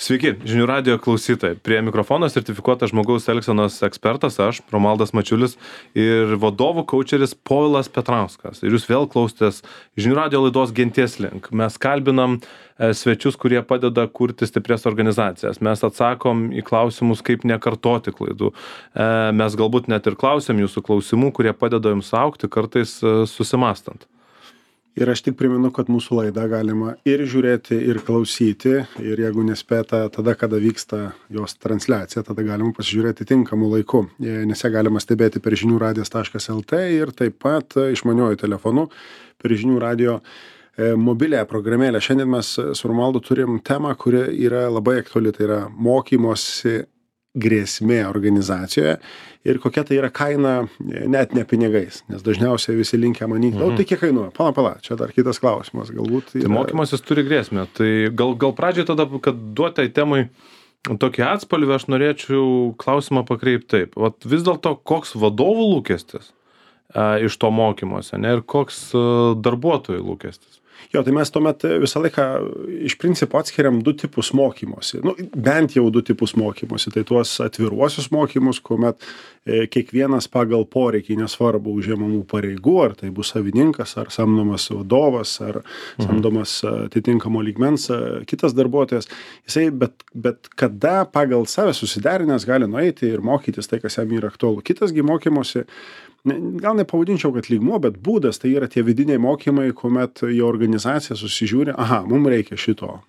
Sveiki, žinių radijo klausytojai. Prie mikrofono sertifikuotas žmogaus elgsenos ekspertas aš, Romualdas Mačiulis, ir vadovų kaučeris Povilas Petrauskas. Ir jūs vėl klausotės žinių radijo laidos Genties link. Mes kalbinam svečius, kurie padeda kurti stiprias organizacijas. Mes atsakom į klausimus, kaip nekartoti klaidų. Mes galbūt net ir klausim jūsų klausimų, kurie padeda jums augti, kartais susimastant. Ir aš tik primenu, kad mūsų laidą galima ir žiūrėti, ir klausyti. Ir jeigu nespėta tada, kada vyksta jos transliacija, tada galima pasižiūrėti tinkamu laiku. Nes ją galima stebėti per žiniųradijas.lt ir taip pat išmaniuoju telefonu per žinių radijo mobiliąją programėlę. Šiandien mes su Romualdu turim temą, kuri yra labai aktuali. Tai yra mokymosi grėsmė organizacijoje ir kokia tai yra kaina net ne pinigais, nes dažniausiai visi linkę manyti, tai kiek kainuoja, pala, čia dar kitas klausimas, galbūt. Tai mokymasis turi grėsmę, tai gal pradžiai tada, kad duotai temai tokį atspalvį, aš norėčiau klausimą pakreipti taip, vis dėlto koks vadovų lūkestis iš to mokymosi, ne, ir koks darbuotojų lūkestis? Jo, tai mes tuomet visą laiką iš principo atskiriam du tipus mokymosi. Bent jau du tipus mokymosi. Tai tuos atviruosius mokymus, kuomet kiekvienas pagal poreikį, nesvarbu užimamų pareigų, ar tai bus savininkas, ar samdomas vadovas, ar samdomas atitinkamo lygmens kitas darbuotojas, jisai bet kada pagal save susiderinęs gali nueiti ir mokytis tai, kas jam yra aktualu. Kitasgi mokymosi, gal nepavadinčiau, kad lygmuo, bet būdas, tai yra tie vidiniai mokymai, kuomet jo organizacija susižiūri, mums reikia šito,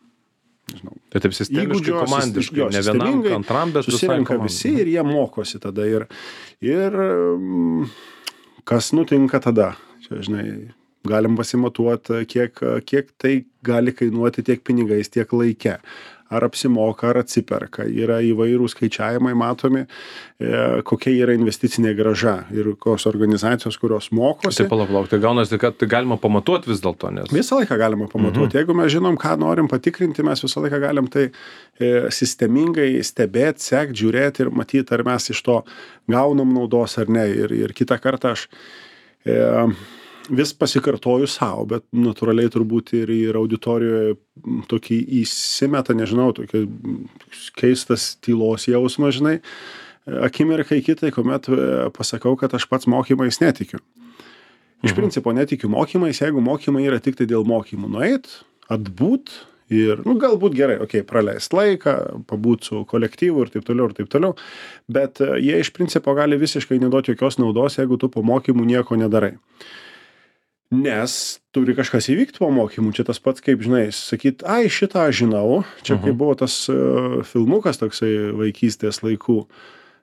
nežinau. Tai taip sistemiškai, komandiškai, ne vienam, antram, bet susirenka visi ir jie mokosi tada. Ir kas nutinka tada? Čia, žinai, galim pasimatuoti, kiek tai gali kainuoti tiek pinigais, tiek laike. Ar apsimoka, ar atsiperka. Yra įvairūs skaičiavimai matomi, kokia yra investicinė grąža ir kokios organizacijos, kurios mokosi. Tai palauk, tai gaunasi, kad tai galima pamatuoti vis dėlto, nes... Visą laiką galima pamatuoti. Jeigu mes žinom, ką norim patikrinti, mes visą laiką galim tai sistemingai stebėti, sekti, žiūrėti ir matyti, ar mes iš to gaunam naudos ar ne. Ir kitą kartą aš vis pasikartoju savo, bet natūraliai turbūt ir auditorijoje tokį įsimeta, nežinau, tokį keistas tylos jausmas, žinai, akimirkai kitai, kuomet pasakau, kad aš pats mokymais netikiu. Iš principo netikiu mokymais, jeigu mokymai yra tik tai dėl mokymų. Nueit, atbūt ir, galbūt gerai, praleist laiką, pabūt su kolektyvu ir taip toliau, bet jie iš principo gali visiškai neduoti jokios naudos, jeigu tu po mokymų nieko nedarai. Nes turi kažkas įvykti po mokymų, čia tas pats, kaip, žinai, sakyt, šitą aš žinau, čia kaip buvo tas filmukas toksai vaikystės laikų,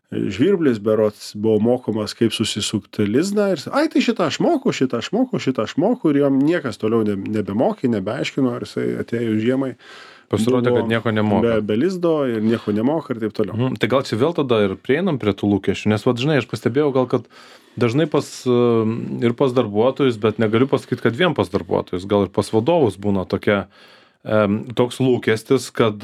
Žvirblis berods buvo mokomas, kaip susisukti lizdą ir, tai šitą aš moku ir jam niekas toliau nebemokė, nebeaiškino, ar jisai atėjo žiemai. Pasirodė, kad nieko nemoka. Be lizdo ir nieko nemoka ir taip toliau. Tai gal čia vėl tada ir prieinam prie tų lūkesčių, nes, žinai, aš pastebėjau gal, kad dažnai ir pas darbuotojus, bet negaliu pasakyti, kad vien pas darbuotojus, gal ir pas vadovus būna toks lūkestis, kad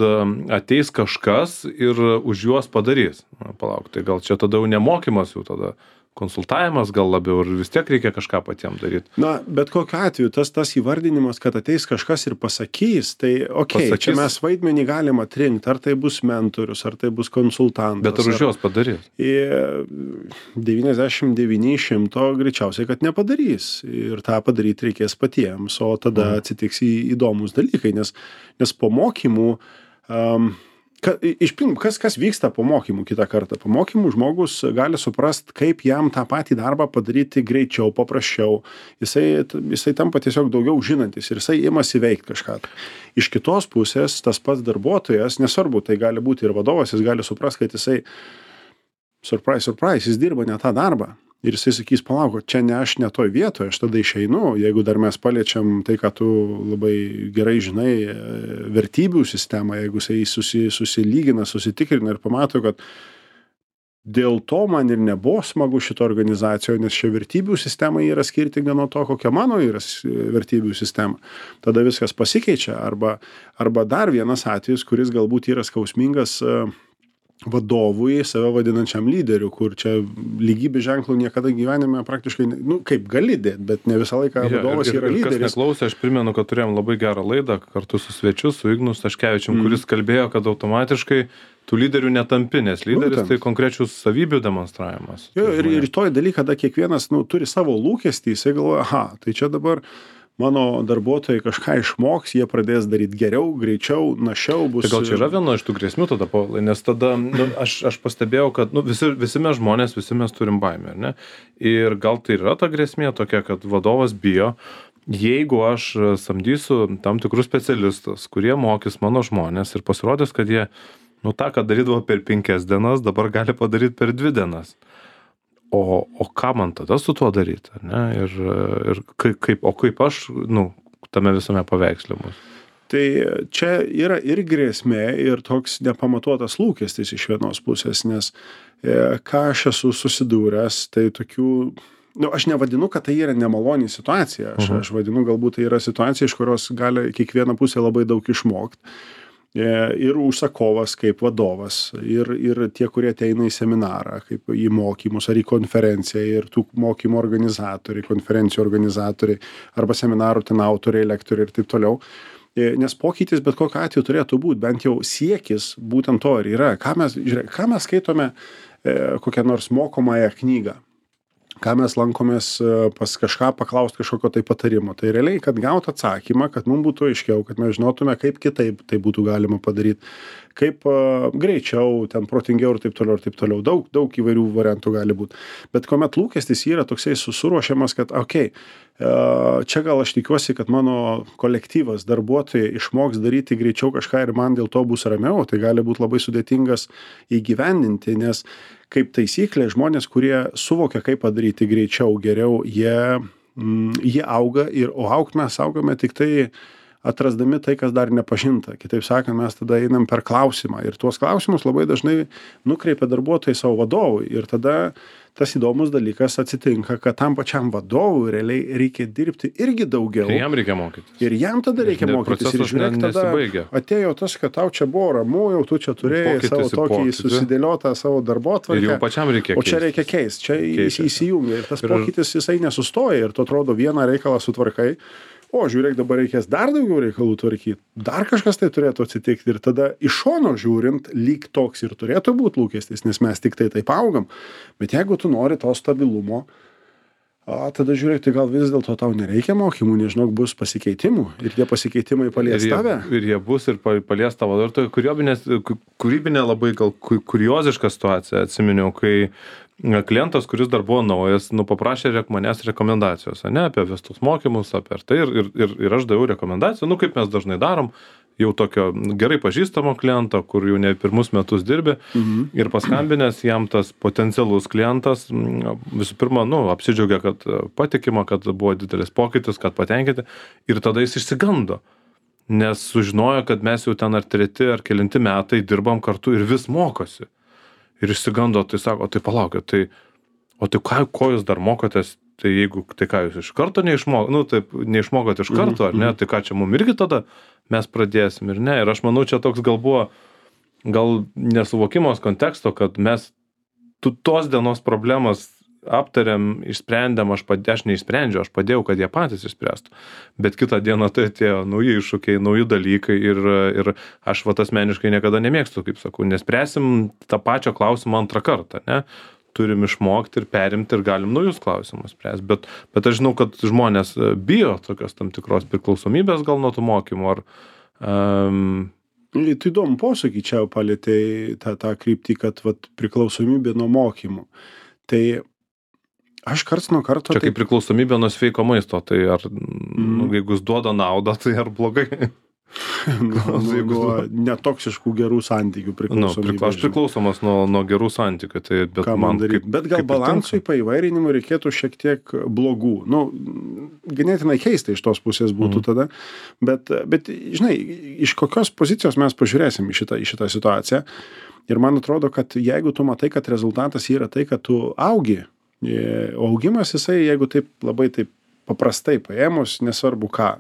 ateis kažkas ir už juos padarys. Palauk, tai gal čia tada jau nemokymas, jau tada konsultavimas gal labiau ir vis tiek reikia kažką patiems daryti. Bet kokiu atveju tas įvardinimas, kad ateis kažkas ir pasakys, tai čia mes vaidmenį galim atrinkti, ar tai bus mentorius, ar tai bus konsultantas. Bet ar už juos padarys? 99% greičiausiai, kad nepadarys. Ir tą padaryti reikės patiems, o tada atsitiks įdomus dalykai, nes po mokymų kas vyksta po mokymų kitą kartą? Po mokymų žmogus gali suprast, kaip jam tą patį darbą padaryti greičiau, paprasčiau. Jisai tampa tiesiog daugiau žinantis ir jisai imasi veikti kažką. Iš kitos pusės tas pats darbuotojas, nesvarbu, tai gali būti ir vadovas, jis gali suprast, kad jisai surprise, jis dirba ne tą darbą. Ir jisai sakys, palauk, čia ne aš ne toj vietoje, aš tada išeinu, jeigu dar mes paliečiam tai, ką tu labai gerai žinai, vertybių sistemą, jeigu jisai susilygina, susitikrina ir pamato, kad dėl to man ir nebuvo smagu šito organizacijoje, nes šia vertybių sistema yra skirtinga nuo to, kokia mano yra vertybių sistema. Tada viskas pasikeičia, arba dar vienas atvejis, kuris galbūt yra skausmingas vadovui, save vadinančiam lyderiu, kur čia lygybės ženklų niekada gyvenime praktiškai, nu, kaip gali dėti, bet ne visą laiką vadovas yra lyderis. Kas neklausė, aš primenu, kad turėjom labai gerą laidą kartu su svečiu, su Ignu Staškevičium, kuris kalbėjo, kad automatiškai tų lyderių netampi, nes lyderis tai konkrečių savybių demonstravimas. Jo, ir toj daly, kada kiekvienas, nu, turi savo lūkestį, jisai galvoja, aha, tai čia dabar mano darbuotojai kažką išmoks, jie pradės daryti geriau, greičiau, našiau bus. Tai gal čia yra viena iš tų grėsmių tada, Povilai, nes tada nu, aš pastebėjau, kad nu, visi mes žmonės, visi mes turim baimę, ar ne? Ir gal tai yra ta grėsmė tokia, kad vadovas bijo, jeigu aš samdysiu tam tikrus specialistus, kurie mokys mano žmonės ir pasirodys, kad jie, nu tą, ką darydavo per 5 dienas, dabar gali padaryti per 2 dienas. O ką man tada su tuo daryti, ne? Ir kaip aš, nu, tame visame paveiksle mus. Tai čia yra ir grėsmė, ir toks nepamatuotas lūkestis iš vienos pusės, nes ką aš esu susidūręs, tai tokių, nu, aš nevadinu, kad tai yra nemaloni situacija, aš vadinu, galbūt tai yra situacija, iš kurios gali kiekviena pusė labai daug išmokti. Ir užsakovas kaip vadovas, ir tie, kurie ateina į seminarą, kaip į mokymus ar į konferenciją, ir tų mokymų organizatoriai, konferencijų organizatoriai, arba seminarų ten autoriai, lektoriai ir taip toliau. Nes pokytis bet kokiu atveju turėtų būti, bent jau siekis būtent to ir yra. Ką mes skaitome kokią nors mokomąją knygą, ką mes lankomės pas kažką paklausti kažkokio tai patarimo. Tai realiai, kad gautų atsakymą, kad mums būtų aiškiau, kad mes žinotume, kaip kitaip tai būtų galima padaryti, kaip greičiau, ten protingiau ir taip toliau, ir taip toliau. Daug įvairių variantų gali būti. Bet kuomet lūkestis yra toksai suruošiamas, kad okei, čia gal aš tikiuosi, kad mano kolektyvas, darbuotojai išmoks daryti greičiau kažką ir man dėl to bus ramiau, tai gali būti labai sudėtingas įgyvendinti, nes kaip taisyklė, žmonės, kurie suvokia, kaip padaryti greičiau, geriau, jie auga, o augt mes augame tik tai atrasdami tai, kas dar nepažinta. Kitaip sakant, mes tada einam per klausimą ir tuos klausimus labai dažnai nukreipia darbuotojai savo vadovui ir tada tas įdomus dalykas atsitinka, kad tam pačiam vadovui realiai reikia dirbti irgi daugiau. Ir jam reikia mokytis. Ir jam tada reikia mokytis. Ir žiūrėk, tada atėjo tas, kad tau čia buvo ramu, jau tu čia turėjai savo tokį susidėliotą savo darbotvarkę. Ir jau pačiam reikia keisti. O čia reikia keisti. Čia įsijungia. Ir tas pokytis jisai nesustoja. Ir tu atrodo vieną reikalą sutvarkai. O, žiūrėk, dabar reikės dar daugiau reikalų tvarkyti. Dar kažkas tai turėtų atsitikti. Ir tada iš šono žiūrint, lyg toks ir turėtų būti lūkestis, nes mes tik tai taip augam. Bet jeigu tu nori to stabilumo, tada žiūrėk, tai gal vis dėlto tau nereikia mokymų, nežinau, bus pasikeitimų. Ir tie pasikeitimai palies tave. Ir jie bus ir palies tavo. Ir tai kūrybinė labai gal kurioziška situacija. Atsiminiau, kai klientas, kuris dar buvo naujas, paprašė manęs rekomendacijos, ne, apie vestus mokymus, apie tai ir aš daviau rekomendaciją, kaip mes dažnai darom, jau tokio gerai pažįstamo kliento, kur jau ne pirmus metus dirbi, ir paskambinęs jam tas potencialus klientas, visų pirma, apsidžiaugia, kad patikima, kad buvo didelis pokytis, kad patenkinti, ir tada jis išsigando, nes sužinojo, kad mes jau ten ar 3 ar kelinti metai dirbam kartu ir vis mokosi. Ir išsigando, tai sako, tai palaukit, ko jūs dar mokotės, tai jeigu, tai ką jūs iš karto neišmokot iš karto, ar ne, tai ką čia mum irgi tada mes pradėsim ir ne. Ir aš manau, čia toks gal buvo, gal nesuvokimas konteksto, kad mes tos dienos problemas aptariam, išsprendėm, aš neišsprendžiau, aš padėjau, kad jie patys išspręstų. Bet kitą dieną tai atėjo nauji iššūkiai, nauji dalykai ir aš asmeniškai niekada nemėgstu, kaip sakau, nespręsim tą pačią klausimą antrą kartą, ne? Turim išmokti ir perimti ir galim naujus klausimus spręsti. Bet aš žinau, kad žmonės bijo tokios tam tikros priklausomybės gal nuo tų mokymų. Tai įdomu posakį čia palėtei tą kryptį, kad priklausomybė nuo mokymų. Tai aš karts nuo karto... Čia kaip priklausomybė nuo sveiko maisto, tai jeigu jis duoda naudą, tai ar blogai? Nuo netoksiškų gerų santykių priklausomybė. Aš priklausomas nuo gerų santykių. Tai, bet gal balansui paįvairinimui reikėtų šiek tiek blogų. Ganėtinai keista iš tos pusės būtų tada. Bet, žinai, iš kokios pozicijos mes pažiūrėsim į šitą situaciją. Ir man atrodo, kad jeigu tu matai, kad rezultatas yra tai, kad tu augi, o augimas jisai, jeigu taip labai taip paprastai paėmus, nesvarbu ką,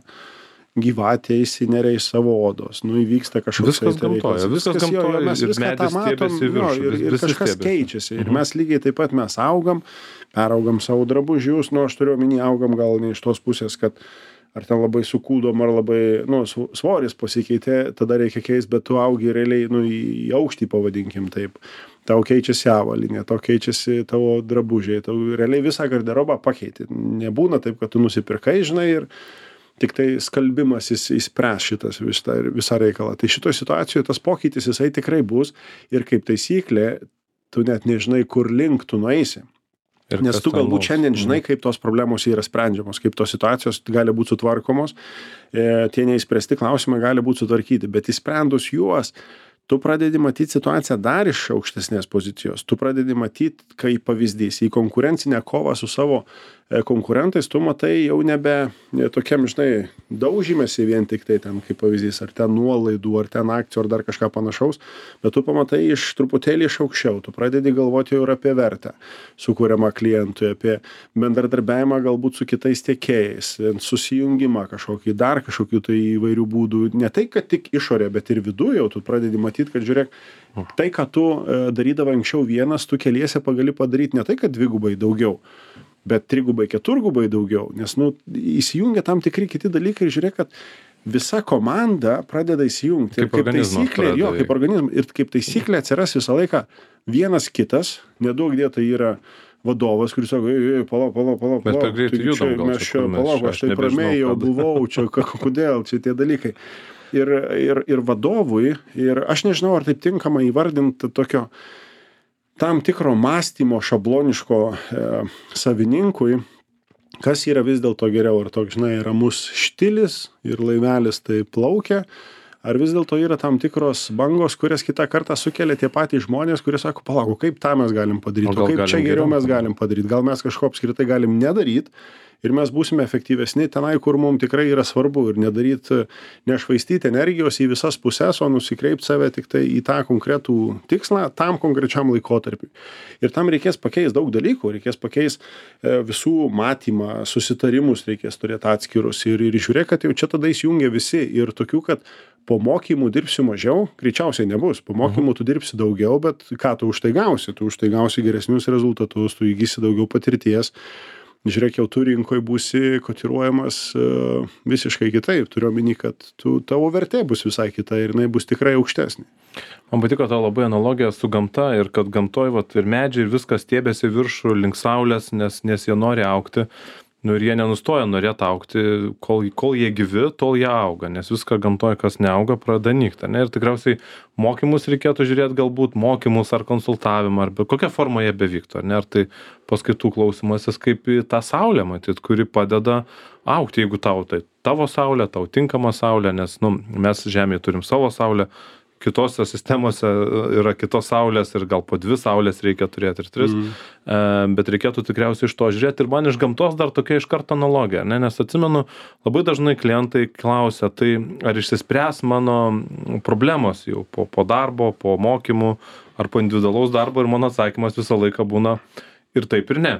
gyvatė įsineria iš savo odos, nu įvyksta kažkoks Viskas gamtoje, viskas gamtoje, mes ir viską tą medis matom, stiebiasi į viršų, ir visi kažkas stiebiasi. keičiasi. Ir mes lygiai taip pat mes augam, peraugam savo drabužius, nu aš turiu omeny, augam gal ne iš tos pusės, kad ar ten labai sukūdom, ar labai, nu, svoris pasikeitė, tada reikia keisti, bet tu augi realiai, nu, į aukštį pavadinkim taip. Tau keičiasi avalynė, tau keičiasi tavo drabužiai, tau realiai visą garderobą pakeiti. Nebūna taip, kad tu nusipirkai, žinai, ir tik tai skalbimas įspręs šitas visą reikalą. Tai šitoje situacijoje tas pokytis jisai tikrai bus ir kaip taisyklė, tu net nežinai, kur link tu nueisi. Nes tu galbūt šiandien žinai, kaip tos problemos yra sprendžiamos, kaip tos situacijos gali būti sutvarkomos, tie neįspręsti klausimai gali būti sutvarkyti, bet įsprendus juos, tu pradedi matyti situaciją dar iš aukštesnės pozicijos, tu pradedi matyti, kaip pavyzdys, į konkurencinę kovą su savo konkurentais, tu matai jau nebe tokiam, žinai, daužymėsi vien tik tai ten, kaip pavyzdys, ar ten nuolaidų, ar ten akcijų, ar dar kažką panašaus, bet tu pamatai iš truputėlį iš aukščiau, tu pradedi galvoti jau ir apie vertę sukūriamą klientui, apie bendradarbiavimą galbūt su kitais tiekėjais, susijungimą kažkokį, dar kažkokių tai įvairių būdų, ne tai, kad tik išorė, bet ir viduje jau tu pradedi matyti, kad žiūrėk, tai, ką tu darydavai anksčiau vienas, tu keliese pagali padaryti ne tai, kad dvigubai daugiau, bet trigubai, keturgubai daugiau, nes, nu, įsijungia tam tikri kiti dalykai ir žiūrėk, kad visa komanda pradeda įsijungti. Ir kaip taisyklė, kaip organizmas, ir kaip taisyklė atsiras visą laiką vienas kitas, nedaug dėta yra vadovas, kuris sako, palauk, mes per greitai judam, mes čia, palauk, aš taip ramiai jau buvau, čia kodėl, čia tie dalykai. Ir vadovui, ir aš nežinau, ar taip tinkama įvardinti tokio tam tikro mąstymo šabloniško savininkui, kas yra vis dėlto geriau, ar toks, žinai, ramus štilis ir laivelis tai plaukia, ar vis dėlto yra tam tikros bangos, kurias kitą kartą sukelia tie patys žmonės, kurie sako, palauk, kaip tą mes galim padaryti, o kaip čia geriau mes galim padaryti, gal mes kažko apskritai galim nedaryti ir mes būsime efektyvesni tenai, kur mums tikrai yra svarbu ir nedaryti, nešvaistyti energijos į visas puses, o nusikreipti save tik tai į tą konkretų tikslą, tam konkrečiam laikotarpiui. Ir tam reikės pakeisti daug dalykų, reikės pakeisti visų matymą, susitarimus reikės turėti atskirus ir žiūrėk, kad jau čia tada įsijungia visi ir tokių, kad po mokymų dirbsiu mažiau, greičiausiai nebus. Po mokymų tu dirbsi daugiau, bet ką tu už tai gausi? Tu už tai gausi geresnius rezultatus, tu įgysi daugiau patirties. Žiūrėk, jau tu rinkoje būsi kotiruojamas visiškai kitaip. Turiu omeny, kad tavo vertė bus visai kita ir jinai bus tikrai aukštesnė. Man patiko tavo labai analogija su gamta ir kad gamtoj ir medžiai ir viskas stiebėsi viršų link saulės, nes jie nori augti. Nu ir jie nenustoja norėti augti, kol jie gyvi, tol jie auga, nes viską gamtoje, kas neauga, pradeda nykti. Ir tikriausiai mokymus reikėtų žiūrėti, galbūt mokymus ar konsultavimą, ar kokią formą jie bevyktų. Ar tai paskaitų klausimasis kaip į tą saulę, matyt, kuri padeda augti, jeigu tai tavo saulė, tau tinkama saulė, nes mes Žemėje turim savo saulę, kitose sistemose yra kitos saulės ir gal po 2 saulės reikia turėti ir 3, bet reikėtų tikriausiai iš to žiūrėti. Ir man iš gamtos dar tokia iš karto analogija, nes atsimenu, labai dažnai klientai klausia, tai ar išsispręs mano problemos jau po darbo, po mokymų ar po individualaus darbo, ir mano atsakymas visą laiką būna ir taip ir ne.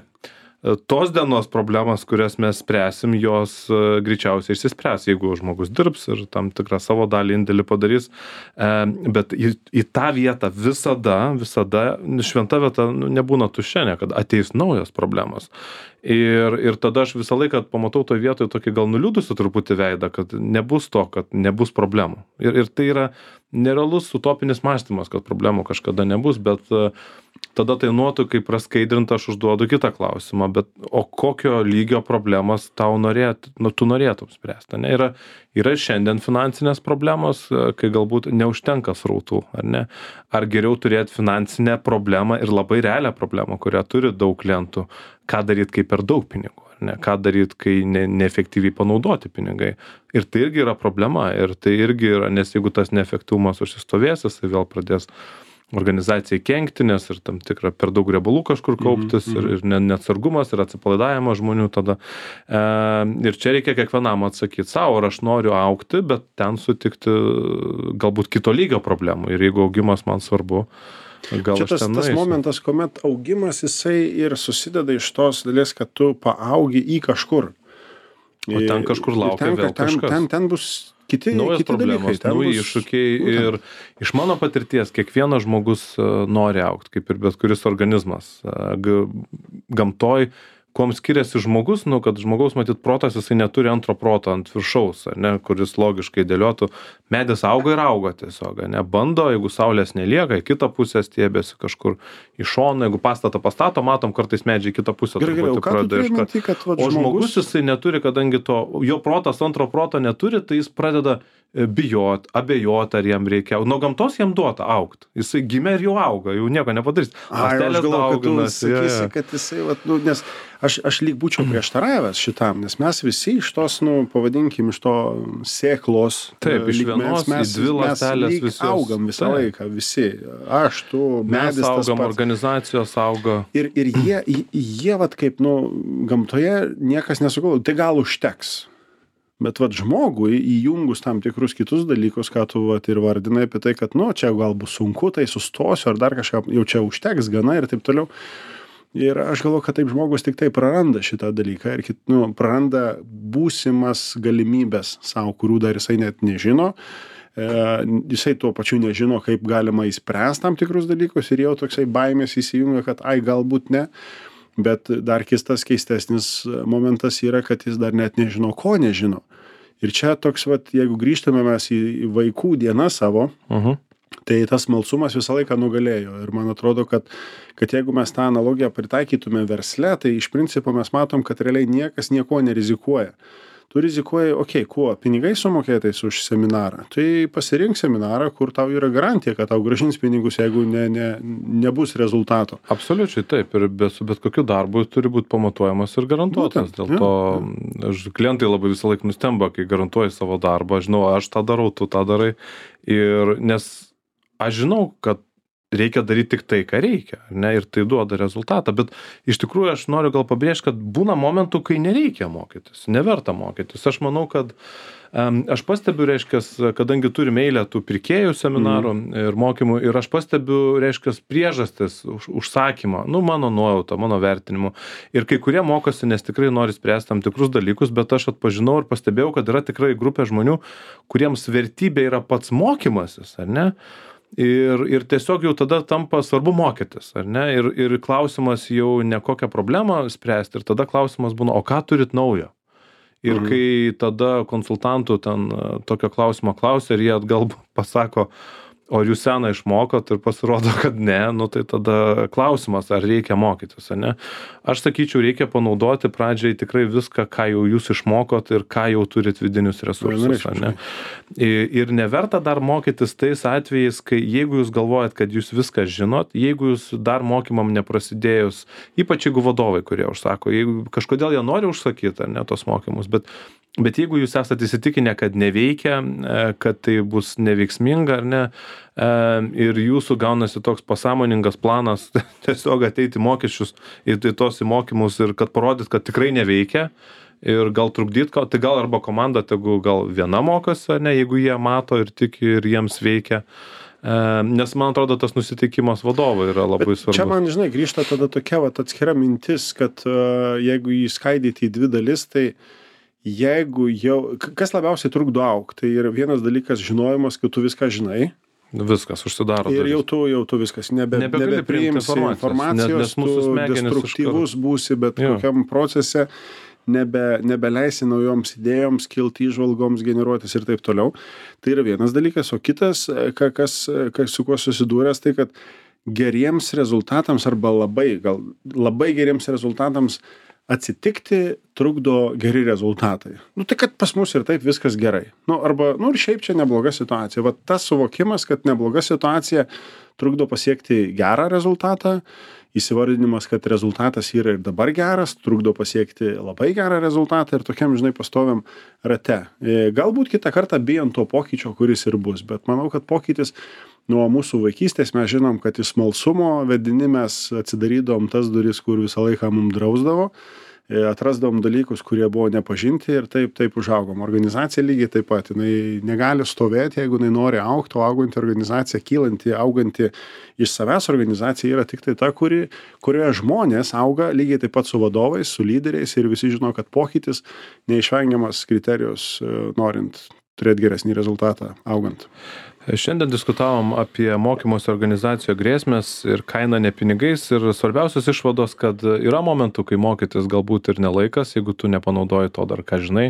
Tos dienos problemas, kurias mes spręsim, jos greičiausiai išsispręs, jeigu žmogus dirbs ir tam tikrą savo dalį indėlį padarys, bet į tą vietą visada šventa vieta nebūna tuščia, kad ateis naujos problemos. Ir tada aš visą laiką pamatau toje vietoje tokį gal nuliūdusių truputį veidą, kad nebus to, kad nebus problemų. Ir tai yra nerealus utopinis mąstymas, kad problemų kažkada nebus, bet tada tai nuotų, kai praskaidrinta, aš užduodu kitą klausimą, bet o kokio lygio problemas tu norėtum spręsti? Yra šiandien finansinės problemos, kai galbūt neužtenka srautų, ar ne? Ar geriau turėti finansinę problemą ir labai realią problemą, kurią turi daug klientų, ką daryti, kai per daug pinigų, ar ne? Ką daryti, kai neefektyviai panaudoti pinigai. Ir tai irgi yra problema, ir tai irgi yra, nes jeigu tas neefektyvumas užsistovės, tai vėl pradės organizacijai kenkti, nes ir tam tikra per daug riebalų kažkur kauptis, ir neatsargumas, ir atsipalaidavimas žmonių tada. Ir čia reikia kiekvienam atsakyti savo, ar aš noriu augti, bet ten sutikti galbūt kito lygio problemų. Ir jeigu augimas man svarbu, gal čia tas momentas, kuomet augimas jisai ir susideda iš tos dalies, kad tu paaugi į kažkur. O ten kažkur laukia vėl kažkas. Ten bus kiti problemos, dalykai. nauji iššūkiai ir iš mano patirties kiekvienas žmogus nori augti, kaip ir bet kuris organizmas. Gamtoj, kuom skiriasi žmogus, kad žmogaus matyt protas, jisai neturi antro proto ant viršaus, ne, kuris logiškai dėliotų. Medis auga ir auga tiesiog, ne, bando, jeigu saulės nelieka, į kitą pusę stiebėsi kažkur į šoną, jeigu pastatą pastato, matom kartais medžiai į kitą pusę. O žmogus jisai neturi, kadangi jo protas antro proto neturi, tai jis pradeda bijot, abejot, ar jam reikia. Nuo gamtos jam duota augt. Jisai gimė ir jau auga, jau nieko nepadarys. Aš galvoju, kad tu sakysi, kad jisai, nes aš lyg būčiau prieštaravęs šitam, nes mes visi iš tos, pavadinkim, iš to sėklos. Taip, iš vienos į dvi ląstelės visos. Mes augam visą laiką, visi. Aš, tu, medis, mes augam, organizacijos auga. Ir jie vat kaip, gamtoje niekas nesugalvoja, tai gal užteks. Bet žmogui įjungus tam tikrus kitus dalykus, ką tu ir vardinai apie tai, kad čia gal bus sunku, tai sustosiu ar dar kažką, jau čia užteks gana ir taip toliau. Ir aš galvoju, kad taip žmogus tik tai praranda šitą dalyką ir praranda būsimas galimybės savo, kurių dar jisai net nežino. Jisai tuo pačiu nežino, kaip galima įspręsti tam tikrus dalykus ir jau toksai baimės įsijungia, kad galbūt ne. Bet dar kitas keistesnis momentas yra, kad jis dar net nežino, ko nežino. Ir čia toks, jeigu grįžtame mes į vaikų dieną savo, tai tas smalsumas visą laiką nugalėjo. Ir man atrodo, kad jeigu mes tą analogiją pritaikytume versle, tai iš principo mes matom, kad realiai niekas nieko nerizikuoja. Tu rizikuoji, kuo? Pinigais sumokėtais už seminarą. Tai pasirink seminarą, kur tau yra garantija, kad tau grąžins pinigus, jeigu nebus rezultato. Absoliučiai taip. Ir su bet kokiu darbu turi būti pamatuojamas ir garantuotas. Dėl to klientai labai visą laiką nustemba, kai garantuoji savo darbą. Žinau, aš tą darau, tu tą darai. Nes aš žinau, kad reikia daryti tik tai, ką reikia, ne, ir tai duoda rezultatą, bet iš tikrųjų aš noriu gal pabrėžti, kad būna momentų, kai nereikia mokytis, neverta mokytis. Aš manau, kad aš pastebiu, kadangi turime eilę tų pirkėjų seminarų ir mokymų, ir aš pastebiu, priežastis užsakymą, mano nuojauta, mano vertinimu. Ir kai kurie mokosi, nes tikrai nori spręsti tam tikrus dalykus, bet aš atpažinau ir pastebėjau, kad yra tikrai grupė žmonių, kuriems vertybė yra pats mokymasis, ar ne? Ir tiesiog jau tada tampa svarbu mokytis, ar ne? Ir klausimas jau ne kokią problemą spręsti, ir tada klausimas būna, o ką turit naujo? Ir kai tada konsultantų ten tokio klausimo klausia, ir jie atgal pasako, o jūs seną išmokot ir pasirodo, kad ne, tai tada klausimas, ar reikia mokytis, ar ne? Aš sakyčiau, reikia panaudoti pradžiai tikrai viską, ką jau jūs išmokot ir ką jau turit vidinius resursus, ar ne? Ir neverta dar mokytis tais atvejais, kai jeigu jūs galvojat, kad jūs viską žinot, jeigu jūs dar mokymam neprasidėjus, ypač jeigu vadovai, kurie užsako, jeigu kažkodėl jie nori užsakyti, ar ne, tos mokymus, bet jeigu jūs esate įsitikinę, kad neveikia, kad tai bus neveiksminga, ar ne, ir jūsų gaunasi toks pasąmoningas planas tiesiog ateiti mokesčius į tos mokymus ir kad parodyt, kad tikrai neveikia ir gal trukdyt, tai gal arba komanda tegu gal viena mokosi, ar ne, jeigu jie mato ir tiki ir jiems veikia. Nes man atrodo, tas nusiteikimas vadovo yra labai svarbus. Čia man, žinai, grįžta tada tokia atskira mintis, kad jeigu jį skaidyti į dvi dalis, tai jeigu jau, kas labiausiai trukdo augti, tai yra vienas dalykas žinojimas, kad tu viską žinai. Viskas užsidaro. Ir jau tu viskas, nebepriimsi informacijos, tu destruktyvus būsi bet kokiam procese, nebeleisi naujoms idėjoms, kilti įžvalgoms, generuotis ir taip toliau. Tai yra vienas dalykas, o kitas, kas su kuo susidūręs, tai kad geriems rezultatams arba labai geriems rezultatams atsitikti trukdo geri rezultatai. Tai kad pas mus ir taip viskas gerai. Ir šiaip čia nebloga situacija. Tas suvokimas, kad nebloga situacija trukdo pasiekti gerą rezultatą, įsivardinimas, kad rezultatas yra ir dabar geras, trukdo pasiekti labai gerą rezultatą ir tokiam, žinai, pastoviam rate. Galbūt kitą kartą bijant to pokyčio, kuris ir bus, bet manau, kad pokytis nuo mūsų vaikystės mes žinom, kad iš smalsumo vedini mes atsidarydom tas duris, kur visą laiką mums drausdavo. atrasdavom dalykus, kurie buvo nepažinti ir taip užaugom. Organizacija lygiai taip pat, jinai negali stovėti, jeigu jinai nori augti, o auganti organizacija, kylanti, auganti iš savęs organizacija yra tik tai ta, kurioje žmonės auga lygiai taip pat su vadovais, su lyderiais ir visi žino, kad pokytis neišvengiamas kriterijus, norint turėti geresnį rezultatą augant. Šiandien diskutavom apie mokymosi organizacijų grėsmės ir kainą ne pinigais ir svarbiausios išvados, kad yra momentų, kai mokytis galbūt ir nelaikas, jeigu tu nepanaudoji to dar, ką žinai.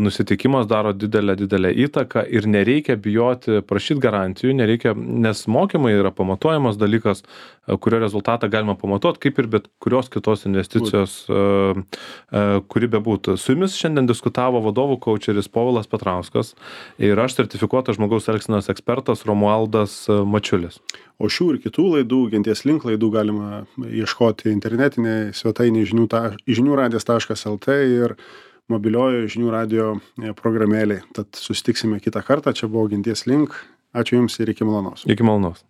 Nusiteikimas daro didelę įtaką ir nereikia bijoti prašyti garantijų, nereikia, nes mokymai yra pamatuojamas dalykas, kurio rezultatą galima pamatuoti, kaip ir bet kurios kitos investicijos, kuri bebūtų. Su jumis šiandien diskutavo vadovų kaučeris Povilas Petrauskas ir aš sertifikuotas žmogaus elgsenos ekspertas Romualdas Mačiulis. O šių ir kitų laidų, Genties link laidų galima ieškoti internetinėje svetainėje žiniųradijas.lt ir mobiliojoje žinių radijo programėlėje. Tad susitiksime kitą kartą. Čia buvo Genties link. Ačiū Jums ir iki malonaus. Iki malonaus.